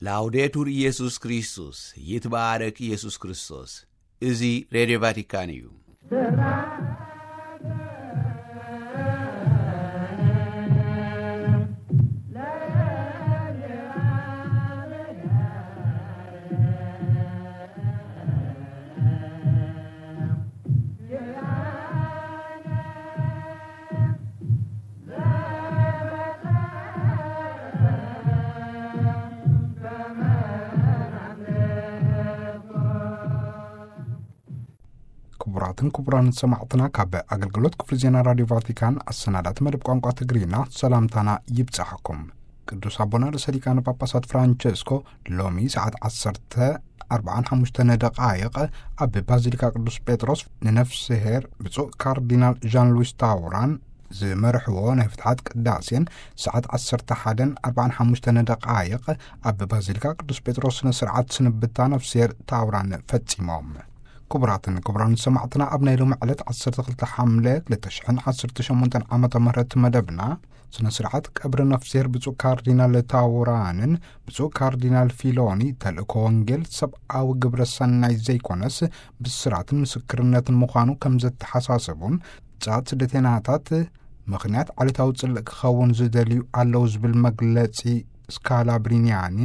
ላውዴቱር ኢየሱስ ክርስቶስ፣ ይትባረክ ኢየሱስ ክርስቶስ። እዚ ሬድዮ ቫቲካን እዩ። ክቡራትን ክቡራን ሰማዕትና፣ ካብ ኣገልግሎት ክፍሊ ዜና ራዲዮ ቫቲካን ኣሰናዳእቲ መደብ ቋንቋ ትግርኛ ሰላምታና ይብጻሕኩም። ቅዱስ ኣቦና ርእሰ ሊቃነ ጳጳሳት ፍራንቸስኮ ሎሚ ሰዓት ዓሰርተ ኣርባዓን ሓሙሽተን ደቃይቕ ኣብ ባዚሊካ ቅዱስ ጴጥሮስ ንነፍስሄር ብፁዕ ካርዲናል ዣን ሉዊስ ታውራን ዝመርሕዎ ናይ ፍትሓት ቅዳሴን፣ ሰዓት ዓሰርተ ሓደን ኣርባዓን ሓሙሽተን ደቃይቕ ኣብ ባዚሊካ ቅዱስ ጴጥሮስ ስነ ስርዓት ስንብታ ነፍስሄር ታውራን ፈጺሞም። ክቡራትን ክቡራን ሰማዕትና፣ ኣብ ናይ ሎሚ ዕለት ዓሰርተ ክልተ ሓምለ ክልተ ሽሕን ዓሰርተ ሸሞንተን ዓመተ ምህረት መደብና፣ ስነ ስርዓት ቀብሪ ነፍስሄር ብፁዕ ካርዲናል ታውራንን ብፁዕ ካርዲናል ፊሎኒ ተልእኮ ወንጌል ሰብኣዊ ግብረ ሰናይ ዘይኮነስ ብስራትን ምስክርነትን ምዃኑ ከም ዘተሓሳሰቡን፣ ጻት ስደተናታት ምኽንያት ዓሌታዊ ጽልእ ክኸውን ዝደልዩ ኣለዉ ዝብል መግለጺ ስካላብሪኒያኒ፣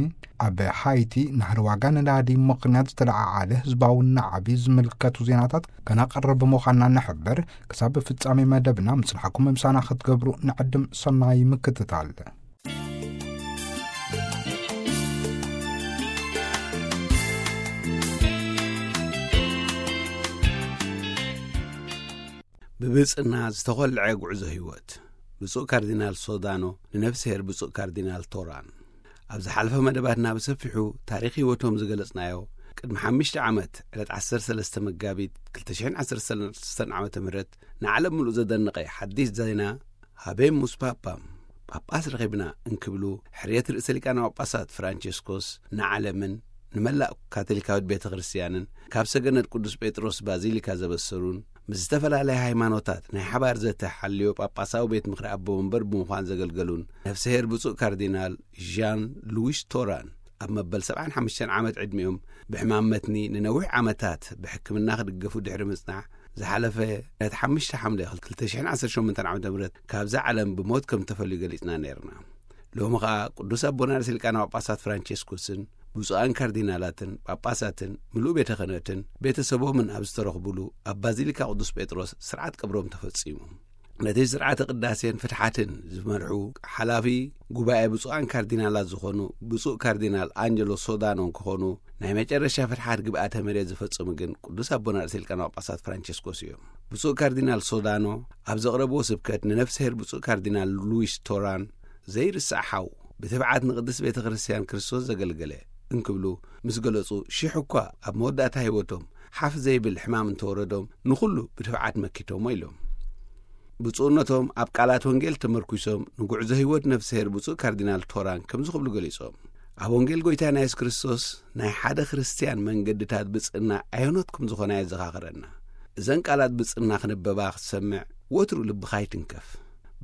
ኣብ ሃይቲ ናህሪ ዋጋ ነዳዲ ምኽንያት ዝተለዓዓለ ህዝባዊ ናዕቢ ዝምልከቱ ዜናታት ከነቕርብ ምዃንና ንሕብር። ክሳብ ፍጻሜ መደብና ምጽናሕኩም ምሳና ክትገብሩ ንዕድም። ሰናይ ምክትታል። ብብጽና ዝተኾልዐ ጉዕዞ ህይወት ብፁዕ ካርዲናል ሶዳኖ ንነፍስሄር ብፁዕ ካርዲናል ቶራን። ኣብ ዝሓለፈ መደባትና ብሰፊሑ ታሪኽ ህይወቶም ዝገለጽናዮ፣ ቅድሚ ሓሙሽተ ዓመት ዕለት ዓሰርተ ሰለስተ መጋቢት ክልተ ሽሕን ዓሰርተ ሰለስተን ዓመተ ምህረት ንዓለም ምሉእ ዘደነቐ ሓዲስ ዜና ሃቤሙስ ፓፓም፣ ጳጳስ ረኺብና እንክብሉ፣ ሕርየት ርእሰ ሊቃነ ጳጳሳት ፍራንቸስኮስ ንዓለምን ንመላእ ካቶሊካዊት ቤተ ክርስቲያንን ካብ ሰገነት ቅዱስ ጴጥሮስ ባዚሊካ ዘበሰሩን፣ ምስ ዝተፈላለያ ሃይማኖታት ናይ ሓባር ዘተ ሓልዮ ጳጳሳዊ ቤት ምኽሪ ኣቦ መንበር ብምዃን ዘገልገሉን ነፍስሄር ብፁዕ ካርዲናል ዣን ሉዊስ ቶራን፣ ኣብ መበል ሰብዓን ሓሙሽተን ዓመት ዕድሚኦም ብሕማም መትኒ ንነዊሕ ዓመታት ብሕክምና ክድገፉ ድሕሪ ምጽናሕ፣ ዝሓለፈ ነቲ ሓሙሽተ ሓምለ ክልተ ሽሕን ዓሰርተ ሸሞንተን ዓመተ ምህረት ካብዛ ዓለም ብሞት ከም ተፈልዩ ገሊጽና ነይርና። ሎሚ ኸኣ ቅዱስ ኣቦና ርእሰ ሊቃነ ጳጳሳት ፍራንቸስኮስን ብፁዓን ካርዲናላትን ጳጳሳትን ምሉእ ቤተ ክህነትን ቤተሰቦምን ኣብ ዝተረኽቡሉ ኣብ ባዚሊካ ቅዱስ ጴጥሮስ ስርዓት ቀብሮም ተፈጺሙ። ነቲ ስርዓተ ቅዳሴን ፍትሓትን ዝመርሑ ሓላፊ ጉባኤ ብፁዓን ካርዲናላት ዝኾኑ ብፁዕ ካርዲናል ኣንጀሎ ሶዳኖ እንክኾኑ፣ ናይ መጨረሻ ፍትሓት ግብኣተ መሬት ዝፈጸሙ ግን ቅዱስ ኣቦና ርእሰ ሊቃነ ጳጳሳት ፍራንቸስኮስ እዮም። ብፁዕ ካርዲናል ሶዳኖ ኣብ ዘቕረብዎ ስብከት፣ ንነፍስሄር ብፁዕ ካርዲናል ሉዊስ ቶራን ዘይርሳዕ ሓው፣ ብትብዓት ንቅድስት ቤተ ክርስቲያን ክርስቶስ ዘገልገለ እንክብሉ ምስ ገለጹ፣ ሽሕ እኳ ኣብ መወዳእታ ህይወቶም ሓፍ ዘይብል ሕማም እንተወረዶም፣ ንኹሉ ብትብዓት መኪቶሞ ኢሎም። ብፁዕነቶም ኣብ ቃላት ወንጌል ተመርኲሶም ንጉዕዞ ህይወት ነፍስሄር ብፁዕ ካርዲናል ቶራን ከምዚ ክብሉ ገሊጾም፣ ኣብ ወንጌል ጐይታና የሱስ ክርስቶስ ናይ ሓደ ክርስትያን መንገድታት ብጽእና ኣየኖት ከም ዝኾና የዘኻኽረና። እዘን ቃላት ብጽእና ክነበባ ክትሰምዕ ወትሩ ልብኻ ይትንከፍ።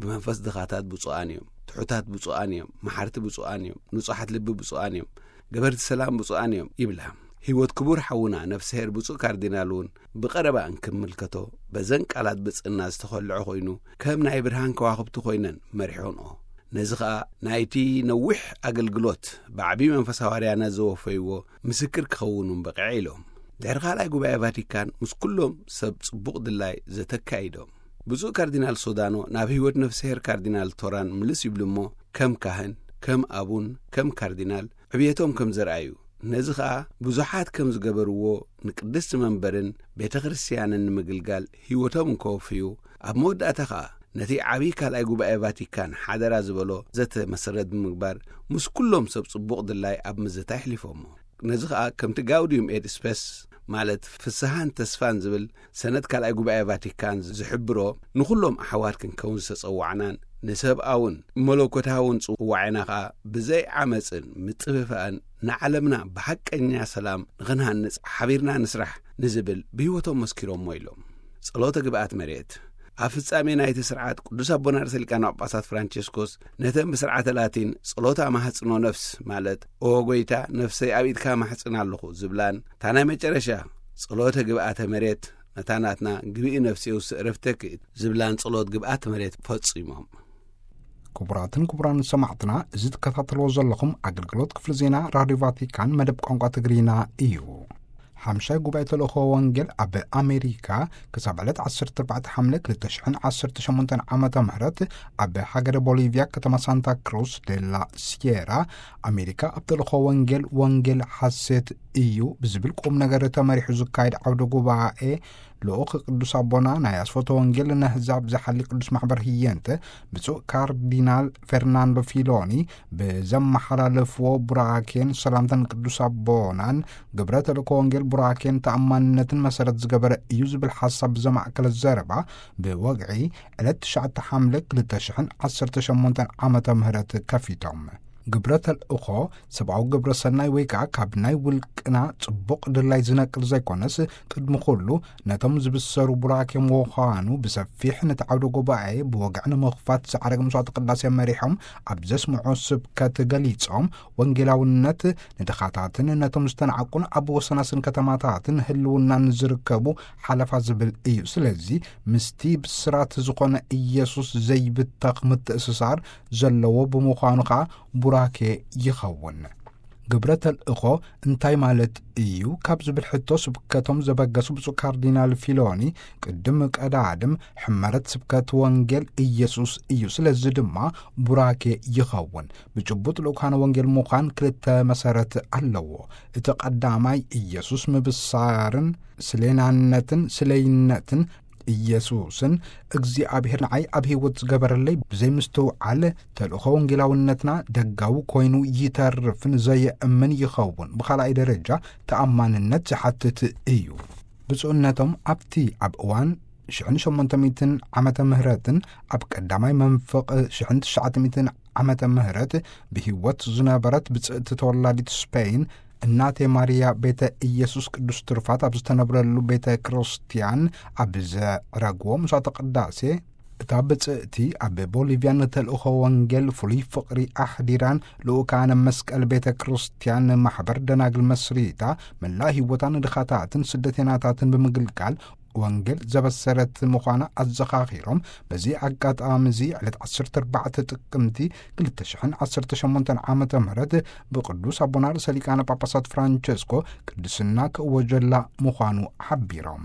ብመንፈስ ድኻታት ብፁዓን እዮም፣ ትሑታት ብፁዓን እዮም፣ መሓርቲ ብፁዓን እዮም፣ ንጹሓት ልቢ ብፁዓን እዮም፣ ገበርቲ ሰላም ብፁዓን እዮም ይብላ። ህይወት ክቡር ሓውና ነፍስሄር ብፁዕ ካርዲናል እውን ብቐረባ እንክምልከቶ፣ በዘን ቃላት ብጽእና ዝተኸልዐ ኮይኑ፣ ከም ናይ ብርሃን ከዋኽብቲ ኮይነን መሪሖንኦ። ነዚ ኸኣ ናይቲ ነዊሕ ኣገልግሎት ብዓቢ መንፈስ ሃዋርያና ዘወፈይዎ ምስክር ክኸውን እውን በቒዐ ኢሎም። ድሕሪ ካልኣይ ጉባኤ ቫቲካን ምስ ኩሎም ሰብ ጽቡቕ ድላይ ዘተካይዶም። ብፁዕ ካርዲናል ሶዳኖ ናብ ህይወት ነፍስሄር ካርዲናል ቶራን ምልስ ይብሉ እሞ፣ ከም ካህን፣ ከም ኣቡን፣ ከም ካርዲናል ዕብየቶም ከም ዘርኣዩ፣ ነዚ ኸኣ ብዙሓት ከም ዝገበርዎ፣ ንቅድስቲ መንበርን ቤተ ክርስቲያንን ንምግልጋል ህይወቶም እንከወፍዩ፣ ኣብ መወዳእታ ኸኣ ነቲ ዓብዪ ካልኣይ ጉባኤ ቫቲካን ሓደራ ዝበሎ ዘተ መሰረት ብምግባር፣ ምስ ኩሎም ሰብ ጽቡቕ ድላይ ኣብ ምዝታ ኣሕሊፎሞ። ነዚ ኸኣ ከምቲ ጋውዲዩም ኤት ስፐስ፣ ማለት ፍስሃን ተስፋን ዝብል ሰነድ ካልኣይ ጉባኤ ቫቲካን ዝሕብሮ፣ ንኹሎም ኣሕዋት ክንከውን ዝተጸዋዕናን ንሰብኣውን መለኮታውን ጽዋዕና ኸኣ ብዘይ ዓመጽን ምጥፍፋእን ንዓለምና ብሓቀኛ ሰላም ንኽንሃንጽ ሓቢርና ንስራሕ ንዝብል ብህይወቶም መስኪሮሞ ኢሎም። ጸሎተ ግብኣት መሬት። ኣብ ፍጻሜ ናይቲ ስርዓት ቅዱስ ኣቦና ርእሰ ሊቃነ ጳጳሳት ፍራንቸስኮስ ነተን ብስርዓተ ላቲን ጸሎት ኣማሕጽኖ ነፍስ፣ ማለት "ኦ ጎይታ፣ ነፍሰይ ኣብ ኢድካ ማሕጽን ኣለኹ" ዝብላን፣ እታ ናይ መጨረሻ "ጸሎተ ግብኣተ መሬት፣ ነታ ናትና ግብኢ ነፍሲ የውስእ ዕረፍተኪ" ዝብላን ጸሎት ግብኣተ መሬት ፈጺሞም። ክቡራትን ክቡራን ሰማዕትና፣ እዚ ትከታተልዎ ዘለኹም ኣገልግሎት ክፍሊ ዜና ራድዮ ቫቲካን መደብ ቋንቋ ትግርኛ እዩ። ሓምሻይ ጉባኤ ተልእኾ ወንጌል ኣብ ኣሜሪካ ክሳብ ዕለት ዓሰርተ ኣርባዕተ ሓምለ ክልተ ሽሕን ዓሰርተ ሸሞንተን ዓመተ ምህረት ኣብ ሃገረ ቦሊቪያ ከተማ ሳንታ ክሩስ ዴላ ሲየራ ኣሜሪካ ኣብ ተልእኾ ወንጌል፣ ወንጌል ሓሴት እዩ ብዝብል ቁም ነገር ተመሪሑ ዝካየድ ዓውደ ጉባኤ ልኡኽ ቅዱስ ኣቦና ናይ ኣስፈቶ ወንጌል ነህዛብ ዝሓሊ ቅዱስ ማሕበር ህየንተ ብፁዕ ካርዲናል ፌርናንዶ ፊሎኒ ብዘመሓላለፍዎ ቡራኬን ሰላምታን ቅዱስ ኣቦናን ግብረ ተልእኮ ወንጌል ቡራኬን ተኣማንነትን መሰረት ዝገበረ እዩ ዝብል ሓሳብ ብዘማእከለ ዘረባ ብወግዒ ዕለት ትሽዓተ ሓምለ ክልተ ሽሕን ዓሰርተ ሸሞንተን ዓመተ ምህረት ከፊቶም። ግብረ ተልእኾ ሰብኣዊ ግብረ ሰናይ ወይ ከኣ ካብ ናይ ውልቅና ጽቡቕ ድላይ ዝነቅል ዘይኮነስ፣ ቅድሚ ኩሉ ነቶም ዝብሰሩ ቡራኬ ምዃኑ ብሰፊሕ ነቲ ዓውደ ጉባኤ ብወግዒ ንምኽፋት ዝዓረገ መስዋዕተ ቅዳሴ መሪሖም ኣብ ዘስምዖ ስብከት ገሊጾም፣ ወንጌላውነት ንድኻታትን ነቶም ዝተናዕቁን ኣብ ወሰናስን ከተማታትን ህልውናን ዝርከቡ ሓለፋ ዝብል እዩ። ስለዚ ምስቲ ብስራት ዝኾነ ኢየሱስ ዘይብተኽ ምትእስሳር ዘለዎ ብምዃኑ ኸኣ ቡራኬ ይኸውን። ግብረ ተልእኾ እንታይ ማለት እዩ ካብ ዝብል ሕቶ ስብከቶም ዘበገሱ ብፁዕ ካርዲናል ፊሎኒ፣ ቅድም ቀዳድም ሕመረት ስብከት ወንጌል ኢየሱስ እዩ፣ ስለዚ ድማ ቡራኬ ይኸውን። ብጭቡጥ ልኡካነ ወንጌል ምዃን ክልተ መሰረት ኣለዎ። እቲ ቀዳማይ ኢየሱስ ምብሳርን ስሌናነትን ስለይነትን ኢየሱስን እግዚኣብሔር ንዓይ ኣብ ህይወት ዝገበረለይ ብዘይ ምስትውዓል ተልእኾ ወንጌላውነትና ደጋዊ ኮይኑ ይተርፍን ዘየእምን ይኸውን። ብኻልኣይ ደረጃ ተኣማንነት ዝሓትት እዩ። ብፁዕነቶም ኣብቲ ኣብ እዋን ሽሕን ሸሞንተ ሚእትን ዓመተ ምህረትን ኣብ ቀዳማይ መንፈቕ ሽሕን ትሽዓተ ሚእትን ዓመተ ምህረት ብህይወት ዝነበረት ብጽእቲ ተወላዲት ስፔይን እናቴ ማርያ ቤተ ኢየሱስ ቅዱስ ትሩፋት ኣብ ዝተነብረሉ ቤተ ክርስቲያን ኣብ ዘዕረግዎ ምሳተ ቅዳሴ፣ እታ ብጽእቲ ኣብ ቦሊቪያ ንተልእኾ ወንጌል ፍሉይ ፍቕሪ ኣሕዲራን ልኡካነ መስቀል ቤተ ክርስቲያን ማሕበር ደናግል መስሪታ መላእ ህይወታ ንድኻታትን ስደተናታትን ብምግልጋል ወንጌል ዘበሰረት ምዃና ኣዘኻኺሮም፣ በዚ ኣጋጣሚ እዚ ዕለት ዓሰርተ ኣርባዕተ ጥቅምቲ ክልተ ሽሕን ዓሰርተ ሸሞንተን ዓመተ ምህረት ብቅዱስ ኣቦና ርእሰ ሊቃነ ጳጳሳት ፍራንቸስኮ ቅድስና ክእወጀላ ምዃኑ ሓቢሮም።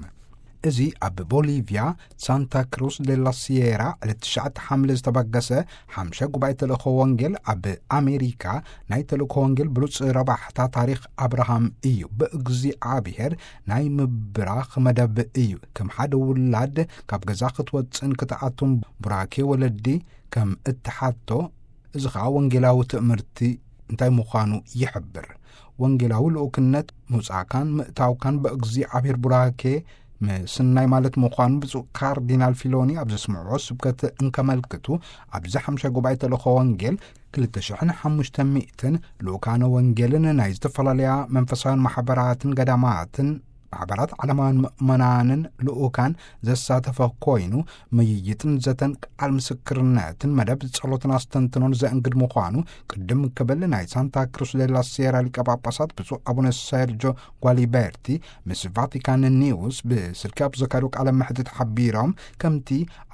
እዚ ኣብ ቦሊቪያ ሳንታ ክሩስ ዴላ ሲየራ ዕለት ትሽዓተ ሓምለ ዝተበገሰ ሓምሻይ ጉባኤ ተልእኮ ወንጌል ኣብ ኣሜሪካ ናይ ተልእኮ ወንጌል ብሉጽ ረባሕታ ታሪኽ ኣብርሃም እዩ። ብእግዚኣብሔር ናይ ምብራኽ መደብ እዩ። ከም ሓደ ውላድ ካብ ገዛ ክትወጽእን ክትኣቱን ቡራኬ ወለዲ ከም እትሓቶ፣ እዚ ኸኣ ወንጌላዊ ትእምርቲ እንታይ ምዃኑ ይሕብር። ወንጌላዊ ልኡክነት ምውጻእካን ምእታውካን ብእግዚኣብሔር ቡራኬ ምስናይ ማለት ምዃኑ ብፁዕ ካርዲናል ፊሎኒ ኣብ ዘስምዕዎ ስብከት እንከመልክቱ፣ ኣብዚ ሓምሻይ ጉባኤ ተልእኮ ወንጌል ክልተ ሽሕን ሓሙሽተ ሚእትን ልኡካነ ወንጌልን ናይ ዝተፈላለያ መንፈሳውያን ማሕበራትን ገዳማትን ማሕበራት ዓለማውያን ምእመናንን ልኡካን ዘሳተፈ ኮይኑ፣ ምይይጥን ዘተን ቃል ምስክርነትን መደብ ጸሎትን ኣስተንትኖን ዘእንግድ ምዃኑ ቅድም ክብል ናይ ሳንታ ክሩስ ዴላ ሲየራ ሊቀ ጳጳሳት ብፁዕ ኣቡነ ሰርጆ ጓሊበርቲ ምስ ቫቲካን ኒውስ ብስልኪ ኣብ ዘካየዱ ቃለ መሕትት ሓቢሮም፣ ከምቲ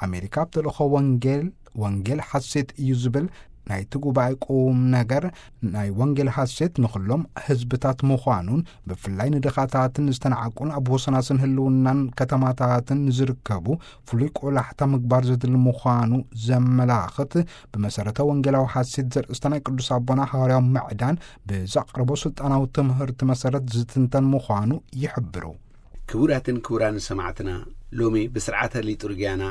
ኣሜሪካ ኣብ ተልእኮ ወንጌል፣ ወንጌል ሓሴት እዩ ዝብል ናይቲ ጉባኤ ቁም ነገር ናይ ወንጌል ሓሴት ንኹሎም ህዝብታት ምዃኑን ብፍላይ ንድኻታትን ዝተናዕቁን ኣብ ወሰናስን ህልውናን ከተማታትን ንዝርከቡ ፍሉይ ቆላሕታ ምግባር ዘድሊ ምዃኑ ዘመላኽት፣ ብመሰረተ ወንጌላዊ ሓሴት ዘርእስታ ናይ ቅዱስ ኣቦና ሃዋርያዊ ምዕዳን ብዘቕረቦ ስልጣናዊ ትምህርቲ መሰረት ዝትንተን ምዃኑ ይሕብሩ። ክቡራትን ክቡራን ሰማዕትና፣ ሎሚ ብስርዓተ ሊጡርጊያና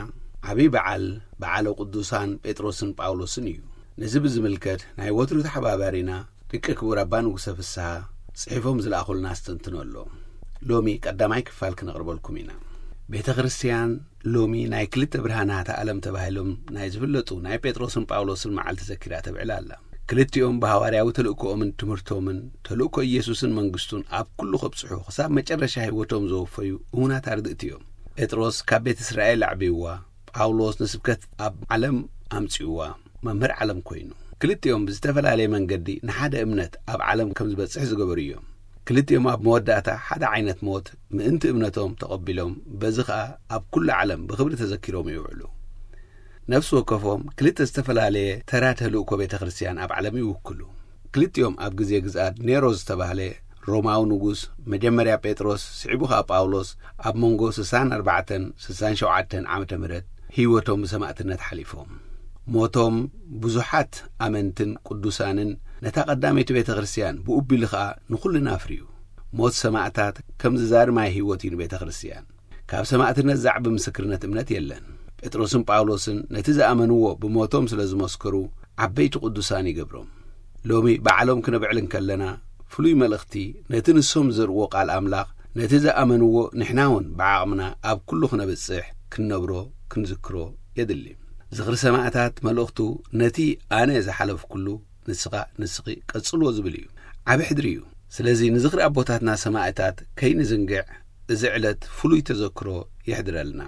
ዓብዪ በዓል፣ በዓለ ቅዱሳን ጴጥሮስን ጳውሎስን እዩ። ነዚ ብዝምልከት ናይ ወትሩ ተሓባባሪና ደቂ ክቡር ኣባ ንጉሰ ፍስሃ ጽሒፎም ዝለኣኹልና ኣስተንትኖ ኣሎ። ሎሚ ቀዳማይ ክፋል ክነቕርበልኩም ኢና። ቤተ ክርስቲያን ሎሚ ናይ ክልተ ብርሃናት ዓለም ተባሂሎም ናይ ዝፍለጡ ናይ ጴጥሮስን ጳውሎስን መዓልቲ ዘኪራ ተብዕል ኣላ። ክልቲኦም ብሃዋርያዊ ተልእኮኦምን ትምህርቶምን ተልእኮ ኢየሱስን መንግስቱን ኣብ ኩሉ ከብጽሑ ክሳብ መጨረሻ ህይወቶም ዘወፈዩ እሙናት ኣርድእቲ እዮም። ጴጥሮስ ካብ ቤት እስራኤል ኣዕብይዋ፣ ጳውሎስ ንስብከት ኣብ ዓለም ኣምጺእዋ፣ መምህር ዓለም ኮይኑ። ክልቲኦም ብዝተፈላለየ መንገዲ ንሓደ እምነት ኣብ ዓለም ከም ዝበጽሕ ዝገበሩ እዮም። ክልቲኦም ኣብ መወዳእታ ሓደ ዓይነት ሞት ምእንቲ እምነቶም ተቐቢሎም፣ በዚ ኸኣ ኣብ ኩሉ ዓለም ብኽብሪ ተዘኪሮም ይውዕሉ። ነፍሲ ወከፎም ክልተ ዝተፈላለየ ተራ ተልእኮ ቤተ ክርስቲያን ኣብ ዓለም ይውክሉ። ክልቲኦም ኣብ ግዜ ግዝኣት ኔሮ ዝተባህለ ሮማዊ ንጉስ፣ መጀመርያ ጴጥሮስ፣ ስዒቡ ኸኣ ጳውሎስ፣ ኣብ መንጎ ስሳን ኣርባዕተን ስሳን ሸውዓተን ዓመተ ምህረት ህይወቶም ብሰማእትነት ሓሊፎም። ሞቶም ብዙሓት ኣመንትን ቅዱሳንን፣ ነታ ቀዳመይቲ ቤተ ክርስቲያን፣ ብኡ ቢሉ ኸኣ ንኹልና ኣፍርዩ። ሞት ሰማእታት ከም ዝዛሪ ማይ ህይወት እዩ ንቤተ ክርስቲያን። ካብ ሰማእትነት ዛዕቢ ምስክርነት እምነት የለን። ጴጥሮስን ጳውሎስን ነቲ ዝኣመንዎ ብሞቶም ስለ ዝመስከሩ፣ ዓበይቲ ቅዱሳን ይገብሮም። ሎሚ ባዕሎም ክነብዕል እንከለና፣ ፍሉይ መልእኽቲ፣ ነቲ ንሶም ዝዘርእዎ ቃል ኣምላኽ፣ ነቲ ዝኣመንዎ ንሕና እውን ብዓቕምና ኣብ ኩሉ ክነብጽሕ፣ ክንነብሮ፣ ክንዝክሮ የድሊ። ዝኽሪ ሰማእታት መልእኽቱ፣ ነቲ ኣነ ዝሓለፍኩሉ ንስኻ፣ ንስኺ ቀጽልዎ ዝብል እዩ። ዓቢ ሕድሪ እዩ። ስለዚ ንዝኽሪ ኣቦታትና ሰማእታት ከይንዝንግዕ፣ እዚ ዕለት ፍሉይ ተዘክሮ የሕድረልና።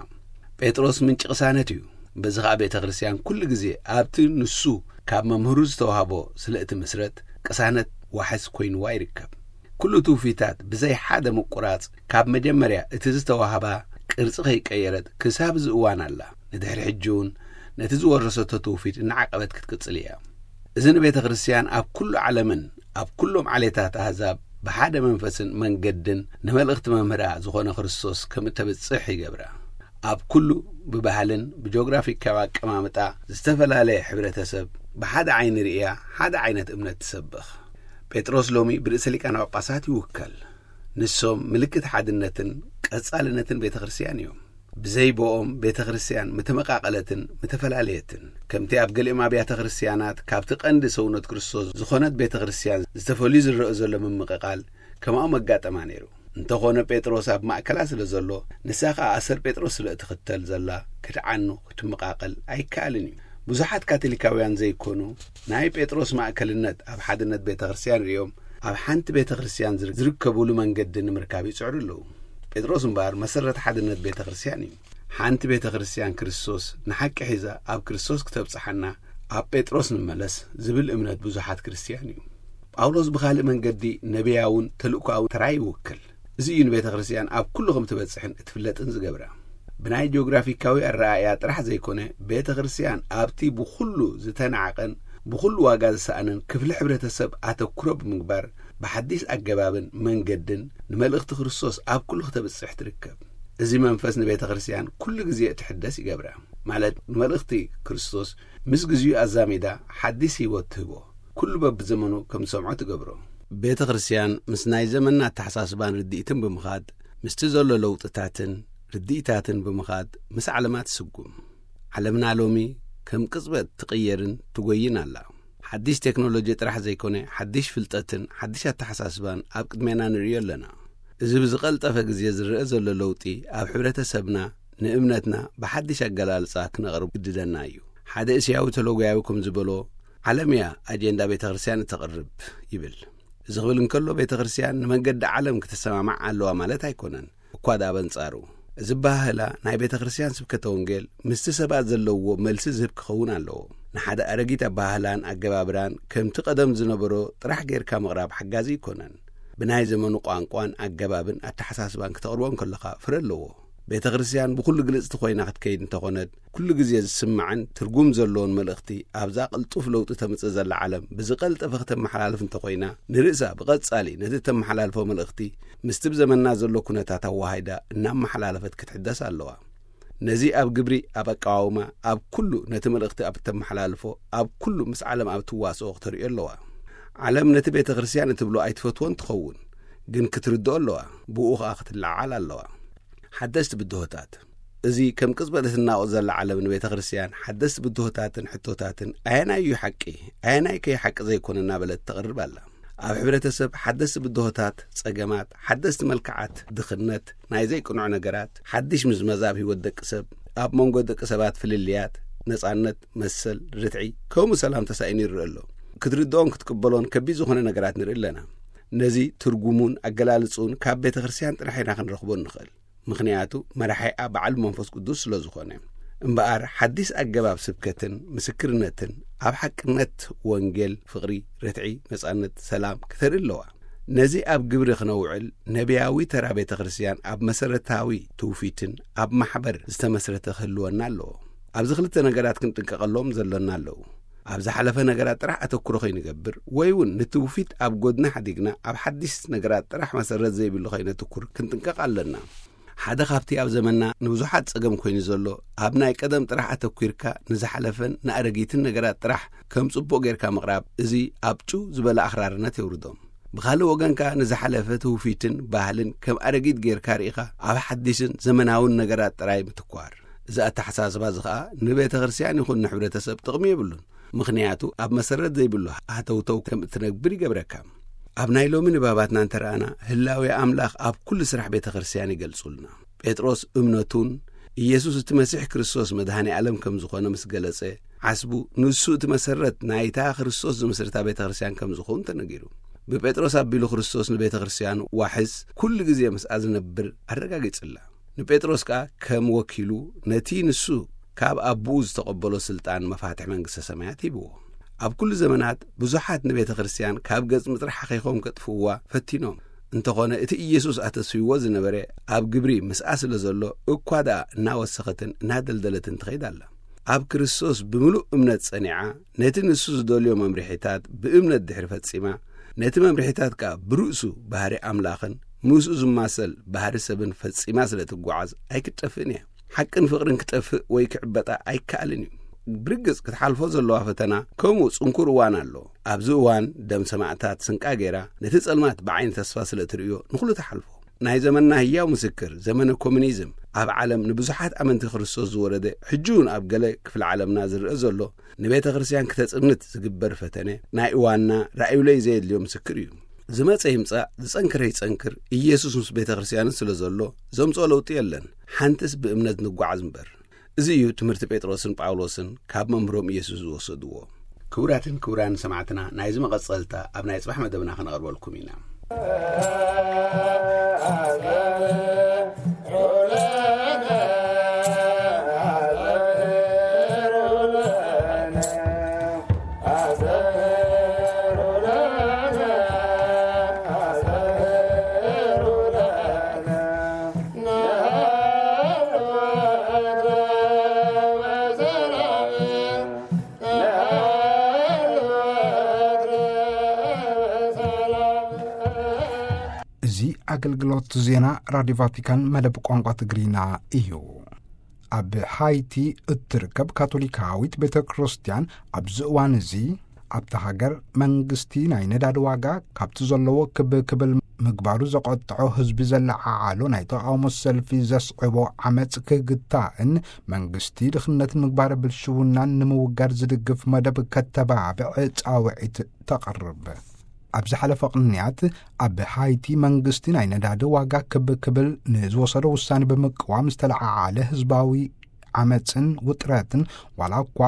ጴጥሮስ ምንጪ ቅሳነት እዩ። በዚ ኸኣ ቤተ ክርስቲያን ኩሉ ግዜ ኣብቲ ንሱ ካብ መምህሩ ዝተዋህቦ ስለ እትምስረት፣ ቅሳነት ዋሕስ ኮይንዋ ይርከብ። ኩሉ ትውፊታት ብዘይ ሓደ ምቁራጽ፣ ካብ መጀመርያ እቲ ዝተዋህባ ቅርጺ ከይቀየረት ክሳብ እዚ እዋን ኣላ። ንድሕሪ ሕጂ እውን ነቲ ዝወረሰቶ ትውፊት እናዓቀበት ክትቅጽል እያ። እዚ ንቤተ ክርስቲያን ኣብ ኩሉ ዓለምን ኣብ ኩሎም ዓሌታት ኣህዛብ ብሓደ መንፈስን መንገድን ንመልእኽቲ መምህራ ዝኾነ ክርስቶስ ከም እተብጽሕ ይገብራ። ኣብ ኩሉ ብባህልን ብጂኦግራፊካዊ ኣቀማምጣ ዝተፈላለየ ሕብረተሰብ ብሓደ ዓይኒ ርእያ ሓደ ዓይነት እምነት ትሰብኽ። ጴጥሮስ ሎሚ ብርእሰ ሊቃነ ጳጳሳት ይውከል። ንሶም ምልክት ሓድነትን ቀጻልነትን ቤተ ክርስቲያን እዮም። ብዘይ ብኦም ቤተ ክርስቲያን ምተመቃቐለትን ምተፈላለየትን። ከምቲ ኣብ ገሊኦም ኣብያተ ክርስቲያናት ካብቲ ቀንዲ ሰውነት ክርስቶስ ዝኾነት ቤተ ክርስቲያን ዝተፈልዩ ዝረአ ዘሎ ምምቕቓል፣ ከማኡ መጋጠማ ነይሩ። እንተኾነ ጴጥሮስ ኣብ ማእከላ ስለ ዘሎ፣ ንሳ ኸኣ ኣሰር ጴጥሮስ ስለ እትኽተል ዘላ፣ ክትዓኑ ክትመቃቐል ኣይከኣልን እዩ። ብዙሓት ካቶሊካውያን ዘይኮኑ፣ ናይ ጴጥሮስ ማእከልነት ኣብ ሓድነት ቤተ ክርስቲያን ርእዮም፣ ኣብ ሓንቲ ቤተ ክርስቲያን ዝር-፣ ዝርከቡሉ መንገዲ ንምርካብ ይጽዕሩ ኣለዉ። ጴጥሮስ እምበኣር መሰረት ሓድነት ቤተ ክርስቲያን እዩ። ሓንቲ ቤተ ክርስቲያን ክርስቶስ ንሓቂ ሒዛ ኣብ ክርስቶስ ክተብጽሓና፣ ኣብ ጴጥሮስ ንመለስ ዝብል እምነት ብዙሓት ክርስቲያን እዩ። ጳውሎስ ብኻልእ መንገዲ ነቢያውን ተልእኮኣውን ተራ ይውክል። እዚ እዩ ንቤተ ክርስቲያን ኣብ ኩሉ ከም ትበጽሕን እትፍለጥን ዝገብራ። ብናይ ጂኦግራፊካዊ ኣረኣእያ ጥራሕ ዘይኮነ፣ ቤተ ክርስቲያን ኣብቲ ብኹሉ ዝተናዕቐን ብኹሉ ዋጋ ዝሰኣንን ክፍሊ ሕብረተሰብ ኣተኩሮ ብምግባር፣ ብሓዲስ ኣገባብን መንገድን ንመልእኽቲ ክርስቶስ ኣብ ኩሉ ክተብጽሕ ትርከብ። እዚ መንፈስ ንቤተ ክርስቲያን ኩሉ ግዜ እትሕደስ ይገብራ። ማለት፣ ንመልእኽቲ ክርስቶስ ምስ ግዜኡ ኣዛሚዳ ሓዲስ ህይወት ትህቦ። ኩሉ በብዘመኑ ከም ዝሰምዖ ትገብሮ። ቤተ ክርስቲያን ምስ ናይ ዘመንና ኣተሓሳስባን ርድኢትን ብምኻድ፣ ምስቲ ዘሎ ለውጥታትን ርድኢታትን ብምኻድ ምስ ዓለማ ትስጉም። ዓለምና ሎሚ ከም ቅጽበት ትቕየርን ትጎይን ኣላ። ሓዲሽ ቴክኖሎጂ ጥራሕ ዘይኮነ፣ ሓዲሽ ፍልጠትን ሓዲሽ ኣተሓሳስባን ኣብ ቅድሜና ንርእዮ ኣለና። እዚ ብዝቐልጠፈ ግዜ ዝረአ ዘሎ ለውጢ ኣብ ሕብረተሰብና ንእምነትና ብሓዲሽ ኣገላልጻ ክነቕርብ ግድደና እዩ። ሓደ እስያዊ ተለጉያዊ ከም ዝበሎ፣ ዓለም እያ ኣጀንዳ ቤተ ክርስቲያን እተቕርብ ይብል። እዚ ክብል እንከሎ፣ ቤተ ክርስቲያን ንመንገዲ ዓለም ክትሰማማዕ ኣለዋ ማለት ኣይኮነን። እኳ ደኣ በንጻሩ፣ እዚ ኣበሃህላ ናይ ቤተ ክርስቲያን ስብከተ ወንጌል ምስቲ ሰባት ዘለውዎ መልሲ ዝህብ ክኸውን ኣለዎ። ንሓደ ኣረጊት ኣበሃህላን ኣገባብራን ከምቲ ቀደም ዝነበሮ ጥራሕ ጌርካ ምቕራብ ሓጋዚ ኣይኮነን። ብናይ ዘመኑ ቋንቋን ኣገባብን ኣተሓሳስባን ክተቕርቦ እንከለኻ ፍረ ኣለዎ። ቤተ ክርስቲያን ብኹሉ ግልጽቲ ኮይና ክትከይድ እንተኾነት፣ ኩሉ ግዜ ዝስማዕን ትርጉም ዘለዎን መልእኽቲ ኣብዛ ቅልጡፍ ለውጢ ተምጽእ ዘላ ዓለም ብዝቐልጠፈ ክተመሓላልፍ እንተኾይና፣ ንርእሳ ብቐጻሊ ነቲ እተመሓላልፎ መልእኽቲ ምስቲ ብዘመንና ዘሎ ኩነታት ኣወሃሂዳ እናመሓላለፈት ክትሕደስ ኣለዋ። ነዚ ኣብ ግብሪ፣ ኣብ ኣቀዋውማ፣ ኣብ ኩሉ ነቲ መልእኽቲ ኣብ እተመሓላልፎ፣ ኣብ ኩሉ ምስ ዓለም ኣብ ትዋስኦ ክተርእዮ ኣለዋ። ዓለም ነቲ ቤተ ክርስቲያን እትብሎ ኣይትፈትዎን ትኸውን፣ ግን ክትርድኦ ኣለዋ፣ ብኡ ኸኣ ክትለዓዓል ኣለዋ። ሓደስቲ ብድሆታት። እዚ ከም ቅጽበት እትናወጽ ዘላ ዓለም ንቤተ ክርስቲያን ሓደስቲ ብድሆታትን ሕቶታትን ኣየናይ እዩ ሓቂ፣ ኣየናይ ከይ ሓቂ ዘይኮነ እናበለት ተቕርብ ኣላ። ኣብ ሕብረተሰብ ሓደስቲ ብድሆታት፣ ጸገማት፣ ሓደስቲ መልክዓት ድኽነት፣ ናይ ዘይቅኑዕ ነገራት፣ ሓድሽ ምዝመዛ ኣብ ህይወት ደቂ ሰብ፣ ኣብ መንጎ ደቂ ሰባት ፍልልያት፣ ነጻነት፣ መሰል፣ ርትዒ፣ ከምኡ ሰላም ተሳኢኑ ይረአ ኣሎ። ክትርድኦን ክትቅበሎን ከቢድ ዝኾነ ነገራት ንርኢ ኣለና። ነዚ ትርጉሙን ኣገላልጽኡን ካብ ቤተ ክርስቲያን ጥራሕ ኢና ክንረኽቦ እንኽእል። ምኽንያቱ መራሒኣ በዓል መንፈስ ቅዱስ ስለ ዝኾነ። እምበኣር ሓዲስ ኣገባብ ስብከትን ምስክርነትን ኣብ ሓቅነት ወንጌል፣ ፍቕሪ፣ ርትዒ፣ ነጻነት፣ ሰላም ክተርኢ ኣለዋ። ነዚ ኣብ ግብሪ ክነውዕል ነቢያዊ ተራ ቤተ ክርስቲያን ኣብ መሰረታዊ ትውፊትን ኣብ ማሕበር ዝተመስረተ ክህልወና ኣለዎ። ኣብዚ ክልተ ነገራት ክንጥንቀቐሎም ዘሎና ኣለዉ። ኣብ ዝሓለፈ ነገራት ጥራሕ ኣተኩሮ ከይንገብር ወይ እውን ንትውፊት ኣብ ጎድኒ ሓዲግና ኣብ ሓዲስ ነገራት ጥራሕ መሰረት ዘይብሉ ከይነትኩር ክንጥንቀቕ ኣለና። ሓደ ካብቲ ኣብ ዘመንና ንብዙሓት ጸገም ኮይኑ ዘሎ ኣብ ናይ ቀደም ጥራሕ ኣተኩርካ ንዝሓለፈን ንኣረጊትን ነገራት ጥራሕ ከም ጽቡቕ ጌርካ ምቕራብ እዚ ኣብ ጭው ዝበለ ኣኽራርነት የውርዶም። ብኻልእ ወገን ከኣ ንዝሓለፈ ትውፊትን ባህልን ከም ኣረጊት ጌርካ ርኢኻ ኣብ ሓዲስን ዘመናውን ነገራት ጥራይ ምትኳር። እዚ ኣተሓሳስባ እዚ ኸኣ ንቤተ ክርስቲያን ይኹን ንሕብረተሰብ ጥቕሚ የብሉን። ምኽንያቱ ኣብ መሰረት ዘይብሉ ሃተውተው ከም እትነብር ይገብረካ። ኣብ ናይ ሎሚ ንባባትና እንተረኣና ህላዌ ኣምላኽ ኣብ ኩሉ ስራሕ ቤተ ክርስቲያን ይገልጹልና። ጴጥሮስ እምነቱን ኢየሱስ እቲ መሲሕ ክርስቶስ መድኃኔ ዓለም ከም ዝኾነ ምስ ገለጸ፣ ዓስቡ ንሱ እቲ መሰረት ናይታ ክርስቶስ ዝምስርታ ቤተ ክርስቲያን ከም ዝኾን ተነጊሩ። ብጴጥሮስ ኣቢሉ ክርስቶስ ንቤተ ክርስቲያን ዋሕስ ኩሉ ግዜ ምስኣ ዝነብር ኣረጋጊጽላ። ንጴጥሮስ ከኣ ከም ወኪሉ ነቲ ንሱ ካብ ኣቦኡ ዝተቐበሎ ስልጣን መፋትሕ መንግስተ ሰማያት ሂብዎ። ኣብ ኩሉ ዘመናት ብዙሓት ንቤተ ክርስቲያን ካብ ገጽ ምድሪ ሓኺኾም ከጥፍእዋ ፈቲኖም። እንተኾነ እቲ ኢየሱስ ኣተስፍይዎ ዝነበረ ኣብ ግብሪ ምስኣ ስለ ዘሎ እኳ ደኣ እናወሰኸትን እናደልደለትን ትኸይድ ኣላ። ኣብ ክርስቶስ ብምሉእ እምነት ጸኒዓ ነቲ ንሱ ዝደልዮ መምርሒታት ብእምነት ድሕሪ ፈጺማ፣ ነቲ መምርሒታት ከኣ ብርእሱ ባህሪ ኣምላኽን ምስኡ ዝማሰል ባህሪ ሰብን ፈጺማ ስለ ትጓዓዝ ኣይክትጠፍእን እያ። ሓቅን ፍቕርን ክጠፍእ ወይ ክዕበጣ ኣይከኣልን እዩ። ብርግጽ ክትሓልፎ ዘለዋ ፈተና ከምኡ ጽንኩር እዋን ኣሎ። ኣብዚ እዋን ደም ሰማዕታት ስንቃ ገይራ ነቲ ጸልማት ብዓይኒ ተስፋ ስለ እትርእዮ ንኹሉ ትሓልፎ። ናይ ዘመንና ህያው ምስክር ዘመነ ኮሙኒዝም ኣብ ዓለም ንብዙሓት ኣመንቲ ክርስቶስ ዝወረደ ሕጂ እውን ኣብ ገለ ክፍሊ ዓለምና ዝረአ ዘሎ ንቤተ ክርስቲያን ክተጽንት ዝግበር ፈተነ ናይ እዋንና ራእዩለይ ዘየድልዮ ምስክር እዩ። ዝመጸ ይምጻእ ዝጸንክረ ይጸንክር ኢየሱስ ምስ ቤተ ክርስቲያንን ስለ ዘሎ ዘምጽኦ ለውጢ የለን። ሓንትስ ብእምነት ንጓዓዝ እምበር። እዚ እዩ ትምህርቲ ጴጥሮስን ጳውሎስን ካብ መምህሮም ኢየሱስ ዝወሰድዎ። ክቡራትን ክቡራን ሰማዕትና ናይዚ መቐጸልታ ኣብ ናይ ጽባሕ መደብና ክነቕርበልኩም ኢና። እዚ ኣገልግሎት ዜና ራድዮ ቫቲካን መደብ ቋንቋ ትግርኛ እዩ። ኣብ ሃይቲ እትርከብ ካቶሊካዊት ቤተ ክርስቲያን ኣብዚ እዋን እዚ ኣብታ ሃገር መንግስቲ ናይ ነዳዲ ዋጋ ካብቲ ዘለዎ ክብ ክብል ምግባሩ ዘቆጥዖ ህዝቢ ዘለዓዓሎ ናይ ተቓውሞ ሰልፊ ዘስዕቦ ዓመፅ ክግታእን መንግስቲ ድኽነትን ምግባረ ብልሽውናን ንምውጋድ ዝድግፍ መደብ ከተባብዕ ፃውዒት ተቕርብ። ኣብ ዝሓለፈ ቅንያት ኣብ ሃይቲ መንግስቲ ናይ ነዳዲ ዋጋ ክብ ክብል ንዝወሰዶ ውሳኔ ብምቅዋም ዝተለዓዓለ ህዝባዊ ዓመፅን ውጥረትን ዋላ እኳ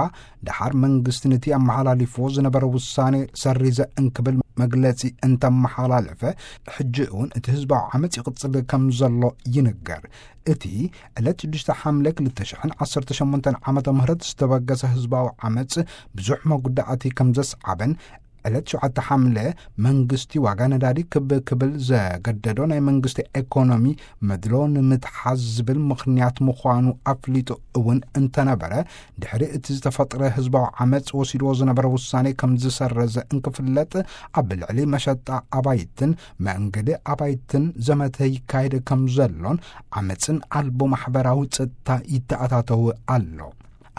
ደሓር መንግስቲ ነቲ ኣመሓላሊፍዎ ዝነበረ ውሳኔ ሰሪዘ እንክብል መግለፂ እንተመሓላለፈ፣ ሕጂ እውን እቲ ህዝባዊ ዓመፅ ይቕፅል ከም ዘሎ ይንገር። እቲ ዕለት ሽዱሽተ ሓምለ ክልተ ሽሕን ዓሰርተ ሸሞንተን ዓመተ ምህረት ዝተበገሰ ህዝባዊ ዓመፅ ብዙሕ መጉዳእቲ ከም ዘስዓበን ዕለት ሸውዓተ ሓምለ መንግስቲ ዋጋ ነዳዲ ክብ ክብል ዘገደዶ ናይ መንግስቲ ኤኮኖሚ መድሎ ንምትሓዝ ዝብል ምኽንያት ምዃኑ ኣፍሊጡ እውን እንተነበረ፣ ድሕሪ እቲ ዝተፈጥረ ህዝባዊ ዓመፅ ወሲድዎ ዝነበረ ውሳኔ ከም ዝሰረዘ እንክፍለጥ፣ ኣብ ልዕሊ መሸጣ ኣባይትን መንገዲ ኣባይትን ዘመተ ይካየድ ከም ዘሎን ዓመፅን ኣልቦ ማሕበራዊ ፀጥታ ይተኣታተው ኣሎ።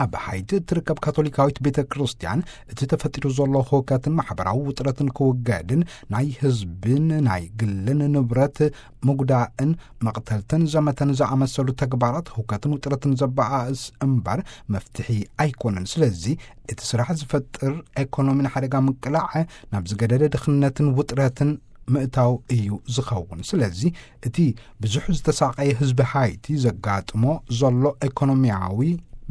ኣብ ሃይቲ እትርከብ ካቶሊካዊት ቤተ ክርስቲያን እቲ ተፈጢሩ ዘሎ ህውከትን ማሕበራዊ ውጥረትን ክውገድን ናይ ህዝብን ናይ ግልን ንብረት ምጉዳእን መቕተልትን ዘመተን ዝኣመሰሉ ተግባራት ህውከትን ውጥረትን ዘበኣእስ እምበር መፍትሒ ኣይኮነን። ስለዚ እቲ ስራሕ ዝፈጥር ኤኮኖሚ ንሓደጋ ምቅላዕ ናብ ዝገደደ ድኽነትን ውጥረትን ምእታው እዩ ዝኸውን። ስለዚ እቲ ብዙሕ ዝተሳቐየ ህዝቢ ሃይቲ ዘጋጥሞ ዘሎ ኤኮኖሚያዊ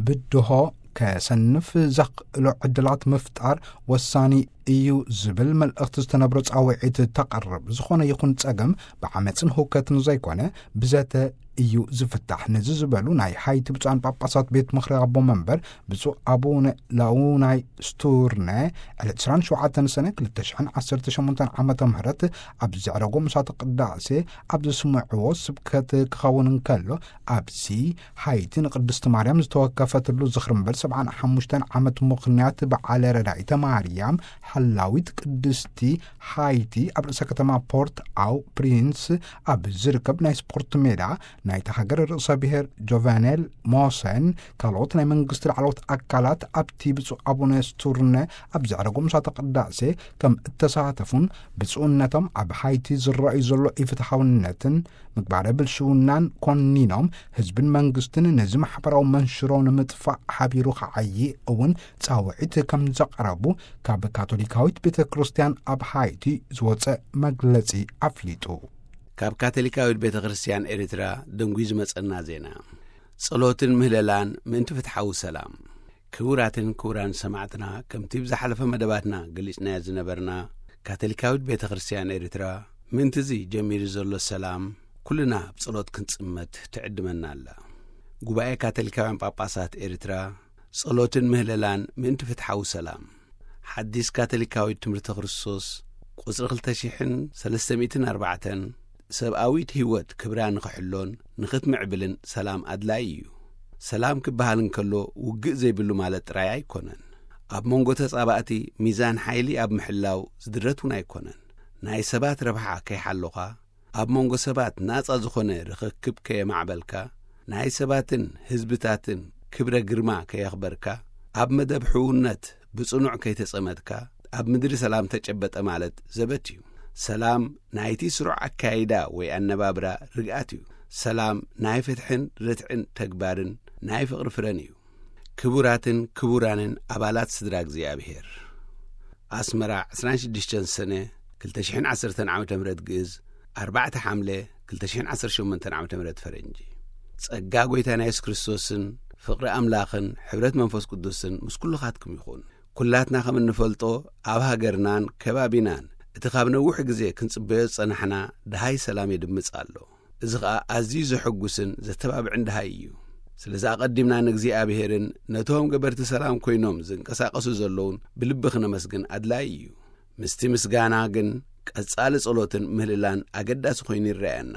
ብድሆ ከሰንፍ ዘኽእሎ ዕድላት ምፍጣር ወሳኒ እዩ ዝብል መልእኽቲ ዝተነብሮ ጻውዒት ተቐርብ። ዝኾነ ይኹን ጸገም ብዓመፅን ህውከትን ዘይኮነ ብዘተ እዩ ዝፍታሕ። ነዚ ዝበሉ ናይ ሃይቲ ብፁዓን ጳጳሳት ቤት ምኽሪ ኣቦ መንበር ብፁዕ ኣቡነ ላውናይ ስቱርነ ዕለት ዕስራን ሸውዓተን ሰነ ክልተ ሽሕን ዓሰርተ ሸሞንተን ዓመተ ምህረት ኣብ ዘዕረጎ ምሳተ ቅዳሴ ኣብ ዘስምዕዎ ስብከት ክኸውን እንከሎ፣ ኣብዚ ሃይቲ ንቅድስቲ ማርያም ዝተወከፈትሉ ዝኽሪ እምበር ሰብዓን ሓሙሽተን ዓመት ምኽንያት በዓለ ረዳኢተ ማርያም ሓላዊት ቅድስቲ ሃይቲ ኣብ ርእሰ ከተማ ፖርት ኣው ፕሪንስ ኣብ ዝርከብ ናይ ስፖርት ሜዳ ናይቲ ሃገር ርእሰ ብሔር ጆቨኔል ሞሰን ካልኦት ናይ መንግስቲ ላዕለዎት ኣካላት ኣብቲ ብፁዕ ኣቡነ ስቱርነ ኣብ ዘዕረጎ ምሳተ ቅዳሴ ከም እተሳተፉን ብፁዕነቶም ኣብ ሃይቲ ዝረኣዩ ዘሎ ኢፍትሓውነትን ምግባረ ብልሽውናን ኮኒኖም፣ ህዝብን መንግስትን ነዚ ማሕበራዊ መንሽሮ ንምጥፋእ ሓቢሩ ክዓዪ እውን ጻውዒት ከም ዘቕረቡ ካብ ካቶሊካዊት ቤተ ክርስቲያን ኣብ ሃይቲ ዝወጸ መግለጺ ኣፍሊጡ። ካብ ካቶሊካዊት ቤተ ክርስቲያን ኤርትራ ደንጉዩ ዝመጸና ዜና። ጸሎትን ምህለላን ምእንቲ ፍትሓዊ ሰላም። ክቡራትን ክቡራን ሰማዕትና፣ ከምቲ ብዝሓለፈ መደባትና ገሊጽናዮ ዝነበርና፣ ካቶሊካዊት ቤተ ክርስቲያን ኤርትራ ምእንትዚ ጀሚሩ ዘሎ ሰላም ኩልና ብጸሎት ክንጽመት ትዕድመና ኣላ። ጉባኤ ካቶሊካውያን ጳጳሳት ኤርትራ፣ ጸሎትን ምህለላን ምእንቲ ፍትሓዊ ሰላም። ሓዲስ ካቶሊካዊት ትምህርቲ ክርስቶስ ቁጽሪ ክልተ ሽሕን ሰለስተ ሚእትን ኣርባዕተን፣ ሰብኣዊት ህይወት ክብራ ንኽሕሎን ንኽትምዕብልን ሰላም ኣድላዪ እዩ። ሰላም ክበሃል እንከሎ ውግእ ዘይብሉ ማለት ጥራይ ኣይኮነን። ኣብ መንጎ ተጻባእቲ ሚዛን ሓይሊ ኣብ ምሕላው ዝድረት እውን ኣይኮነን። ናይ ሰባት ረብሓ ከይሓሎኻ፣ ኣብ መንጎ ሰባት ናጻ ዝኾነ ርኽክብ ከየማዕበልካ፣ ናይ ሰባትን ህዝብታትን ክብረ ግርማ ከየኽበርካ፣ ኣብ መደብ ሕውነት ብጽኑዕ ከይተጸመድካ፣ ኣብ ምድሪ ሰላም ተጨበጠ ማለት ዘበት እዩ። ሰላም ናይቲ ስሩዕ ኣካይዳ ወይ ኣነባብራ ርግኣት እዩ። ሰላም ናይ ፍትሕን ርትዕን ተግባርን ናይ ፍቕሪ ፍረን እዩ። ክቡራትን ክቡራንን ኣባላት ስድራ እግዚኣብሔር፣ ኣስመራ፣ ዕስራን ሽዱሽተን ሰነ ክልተ ሽሕን ዓሰርተን ዓመተ ምህረት ግእዝ፣ ኣርባዕተ ሓምለ ክልተ ሽሕን ዓሰርተ ሸሞንተን ዓመተ ምህረት ፈረንጂ። ጸጋ ጐይታና የሱስ ክርስቶስን ፍቕሪ ኣምላኽን ሕብረት መንፈስ ቅዱስን ምስ ኩልኻትኩም ይኹን። ኩላትና ከም እንፈልጦ፣ ኣብ ሃገርናን ከባቢናን እቲ ካብ ነዊሕ ግዜ ክንጽበዮ ዝጸናሕና ደሃይ ሰላም የድምጽ ኣሎ። እዚ ኸኣ ኣዝዩ ዘሐጉስን ዘተባብዕን ደሃይ እዩ። ስለዚ ኣቐዲምና ንእግዚኣብሔርን ነቶም ገበርቲ ሰላም ኮይኖም ዝንቀሳቐሱ ዘለዉን ብልቢ ክነመስግን ኣድላዪ እዩ። ምስቲ ምስጋና ግን ቀጻሊ ጸሎትን ምህልላን ኣገዳሲ ኮይኑ ይረኣየና።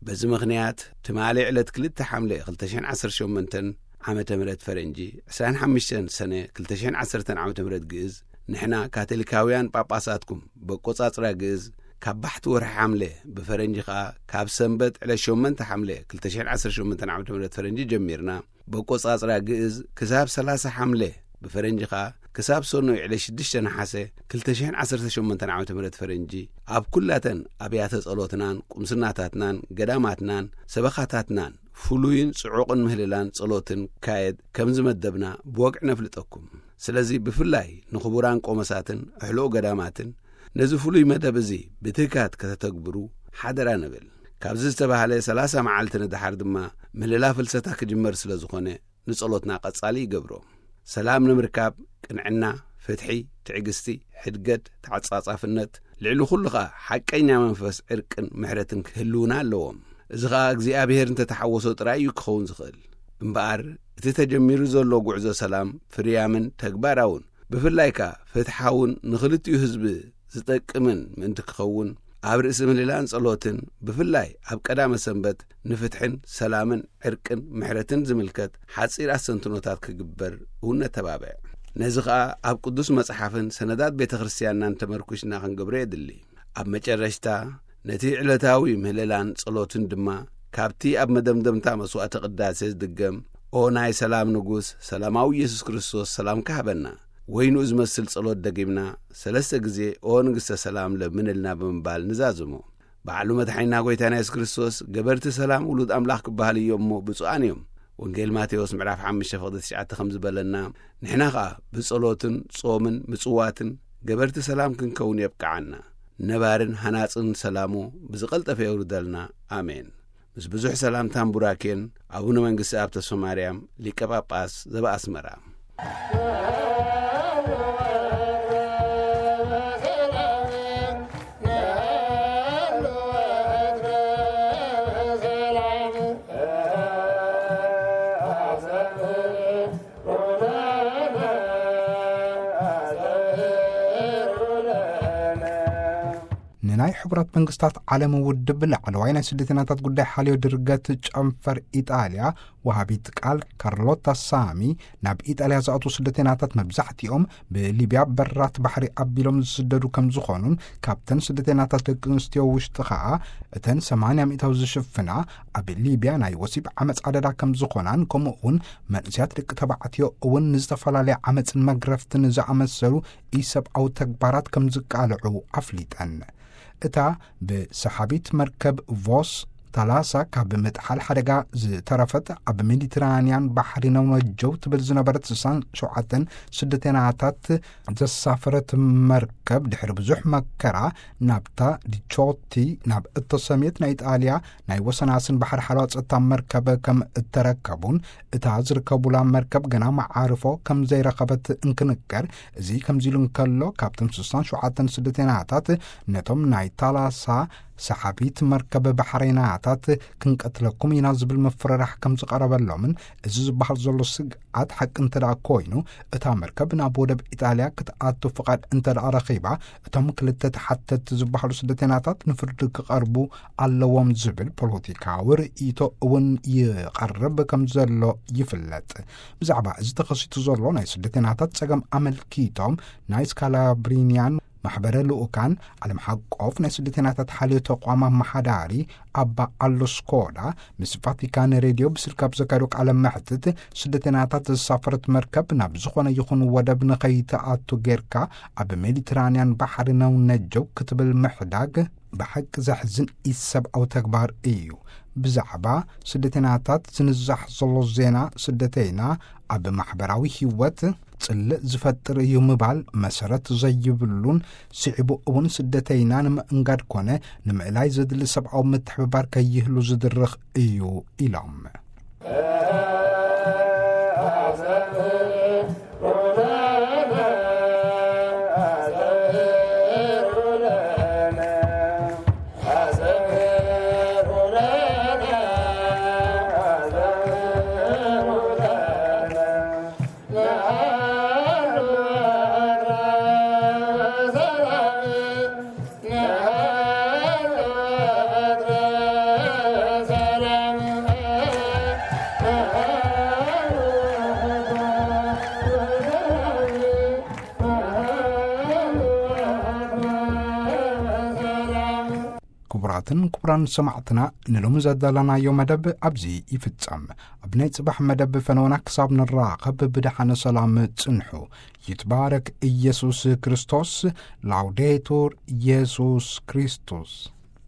በዚ ምኽንያት ትማሊ ዕለት ክልተ ሓምለ ክልተ ሽሕን ዓሰርተ ሸሞንተን ዓመተ ምህረት ፈረንጂ፣ ዕስራን ሓሙሽተን ሰነ ክልተ ሽሕን ዓሰርተን ዓመተ ምህረት ግእዝ፣ ንሕና ካቶሊካውያን ጳጳሳትኩም በቆጻጽራ ግእዝ ካብ ባሕቲ ወርሒ ሓምለ፣ ብፈረንጂ ኸኣ ካብ ሰንበት ዕለት ሸሞንተ ሓምለ ክልተ ሽሕን ዓሰርተ ሸሞንተን ዓመተ ምህረት ፈረንጂ ጀሚርና፣ በቆጻጽራ ግእዝ ክሳብ ሰላሳ ሓምለ፣ ብፈረንጂ ኸኣ ክሳብ ሰኑይ ዕለት ሽዱሽተ ነሓሰ ክልተ ሽሕን ዓሰርተ ሸሞንተን ዓመተ ምህረት ፈረንጂ፣ ኣብ ኩላተን ኣብያተ ጸሎትናን ቁምስናታትናን ገዳማትናን ሰበኻታትናን ፍሉይን ጽዑቕን ምህልላን ጸሎትን ክካየድ ከም ዝመደብና ብወግዒ ነፍልጠኩም። ስለዚ ብፍላይ ንኽቡራን ቆመሳትን ኣሕልቑ ገዳማትን ነዚ ፍሉይ መደብ እዚ ብትግሃት ከተተግብሩ ሓደራ ንብል። ካብዚ ዝተባህለ ሰላሳ መዓልቲ ንደሓር ድማ ምህልላ ፍልሰታ ክጅመር ስለ ዝኾነ፣ ንጸሎትና ቀጻሊ ይገብሮ። ሰላም ንምርካብ ቅንዕና፣ ፍትሒ፣ ትዕግስቲ፣ ሕድገት፣ ተዓጻጻፍነት፣ ልዕሊ ኩሉ ኸኣ ሓቀኛ መንፈስ ዕርቅን ምሕረትን ክህልውና ኣለዎም። እዚ ኸኣ እግዚኣብሔር እንተተሓወሶ ጥራይ እዩ ክኸውን ዝኽእል። እምበኣር እቲ ተጀሚሩ ዘሎ ጉዕዞ ሰላም ፍርያምን ተግባራውን፣ ብፍላይ ከኣ ፍትሓውን ንኽልቲኡ ህዝቢ ዝጠቅምን ምእንቲ ክኸውን፣ ኣብ ርእሲ ምህልላን ጸሎትን፣ ብፍላይ ኣብ ቀዳመ ሰንበት ንፍትሕን ሰላምን ዕርቅን ምሕረትን ዝምልከት ሓጺር ኣስተንትኖታት ክግበር እውን ነተባብዕ። ነዚ ኸኣ ኣብ ቅዱስ መጽሓፍን ሰነዳት ቤተ ክርስቲያንናን ተመርኩሽና ክንገብሮ የድሊ። ኣብ መጨረሽታ፣ ነቲ ዕለታዊ ምህልላን ጸሎትን ድማ ካብቲ ኣብ መደምደምታ መስዋዕተ ቅዳሴ ዝድገም፣ "ኦ ናይ ሰላም ንጉስ፣ ሰላማዊ ኢየሱስ ክርስቶስ፣ ሰላምካ ሃበና" ወይ ንኡ ዝመስል ጸሎት ደጊምና ሰለስተ ግዜ "ኦ ንግስተ ሰላም ለምንልና" ብምባል ንዛዝሞ። ባዕሉ መድሓኒና ጐይታና የሱስ ክርስቶስ፣ "ገበርቲ ሰላም ውሉድ ኣምላኽ ክበሃሉ እዮም እሞ ብፁዓን እዮም" ወንጌል ማቴዎስ ምዕራፍ ሓሙሽተ ፍቕዲ ትሽዓተ ከም ዝበለና፣ ንሕና ኸኣ ብጸሎትን ጾምን ምጽዋትን ገበርቲ ሰላም ክንከውን የብቅዓና። ነባርን ሃናጽን ሰላሙ ብዝቐልጠፈ የውርደልና። ኣሜን። ምስ ብዙሕ ሰላምታን ቡራኬን፣ ኣቡነ መንግስቲ ኣብ ተስፋ ማርያም፣ ሊቀ ጳጳስ ዘበኣስመራ። ሕቡራት መንግስታት ዓለም ውድብ ላዕለዋይ ናይ ስደተኛታት ጉዳይ ሓልዮ ድርገት ጨንፈር ኢጣልያ ወሃቢት ቃል ካርሎታ ሳሚ፣ ናብ ኢጣልያ ዝኣትዉ ስደተኛታት መብዛሕትኦም ብሊብያ በራት ባሕሪ ኣቢሎም ዝስደዱ ከም ዝኾኑን፣ ካብተን ስደተኛታት ደቂ ኣንስትዮ ውሽጢ ኸኣ እተን ሰማንያ ሚእታዊ ዝሽፍና ኣብ ሊብያ ናይ ወሲብ ዓመፅ ዓደዳ ከም ዝኾናን፣ ከምኡ እውን መንእስያት ደቂ ተባዕትዮ እውን ንዝተፈላለየ ዓመፅን መግረፍትን ዝኣመሰሉ ኢሰብኣዊ ተግባራት ከም ዝቃልዑ ኣፍሊጠን። እታ ብሰሓቢት መርከብ ቮስ ታላሳ ካብ ምጥሓል ሓደጋ ዝተረፈት፣ ኣብ ሜዲትራንያን ባሕሪ ነውነጀው ትብል ዝነበረት ስሳን ሸውዓተን ስደተናታት ዘሳፈረት መርከብ፣ ድሕሪ ብዙሕ መከራ ናብታ ዲቾቲ ናብ እተሰምየት ናይ ኢጣልያ ናይ ወሰናስን ባሕሪ ሓለዋ ጸጥታ መርከብ ከም እተረከቡን፣ እታ ዝርከቡላ መርከብ ገና መዓርፎ ከም ዘይረኸበት እንክንገር፣ እዚ ከምዚ ኢሉ እንከሎ፣ ካብቶም ስሳን ሸውዓተን ስደተናታት፣ ነቶም ናይ ታላሳ ሰሓቢት መርከብ ባሕሬናታት ክንቀትለኩም ኢና ዝብል ምፍርራሕ ከም ዝቐረበሎምን፣ እዚ ዝበሃል ዘሎ ስግኣት ሓቂ እንተ ደኣ ኮይኑ፣ እታ መርከብ ናብ ወደብ ኢጣልያ ክትኣቱ ፍቓድ እንተ ደኣ ረኺባ፣ እቶም ክልተ ተሓተቲ ዝበሃሉ ስደተናታት ንፍርዲ ክቐርቡ ኣለዎም ዝብል ፖለቲካዊ ርእይቶ እውን ይቐርብ ከም ዘሎ ይፍለጥ። ብዛዕባ እዚ ተኸሲቱ ዘሎ ናይ ስደተናታት ጸገም ኣመልኪቶም፣ ናይ ስካላብሪንያን ማሕበረ ልኡካን ዓለም ሓቆፍ ናይ ስደተናታት ሓልዮ ተቋም ኣመሓዳሪ ኣባ ኣሎ ስኮዳ ምስ ቫቲካን ሬድዮ ብስልኪ ኣብ ዘካየዶ ቃለ መሕትት፣ ስደተናታት ዘሳፈረት መርከብ ናብ ዝኾነ ይኹን ወደብ ንኸይትኣቱ ጌርካ ኣብ ሜዲትራንያን ባሕሪ ነውነጀው ክትብል ምሕዳግ ብሓቂ ዘሕዝን ኢሰብኣዊ ተግባር እዩ። ብዛዕባ ስደተናታት ዝንዛሕ ዘሎ ዜና፣ ስደተይና ኣብ ማሕበራዊ ህይወት ጽልእ ዝፈጥር እዩ ምባል መሰረት ዘይብሉን፣ ስዒቡ እውን ስደተይና ንምእንጋድ ኮነ ንምእላይ ዘድሊ ሰብኣዊ ምትሕብባር ከይህሉ ዝድርኽ እዩ ኢሎም። ክቡራትን ክቡራን ሰማዕትና፣ ንሎሚ ዘዳለናዮ መደብ ኣብዚ ይፍጸም። ኣብ ናይ ጽባሕ መደብ ፈነወና ክሳብ ንራኸብ ብደሓነ ሰላም ጽንሑ። ይትባረክ ኢየሱስ ክርስቶስ። ላውዴቱር ኢየሱስ ክርስቶስ።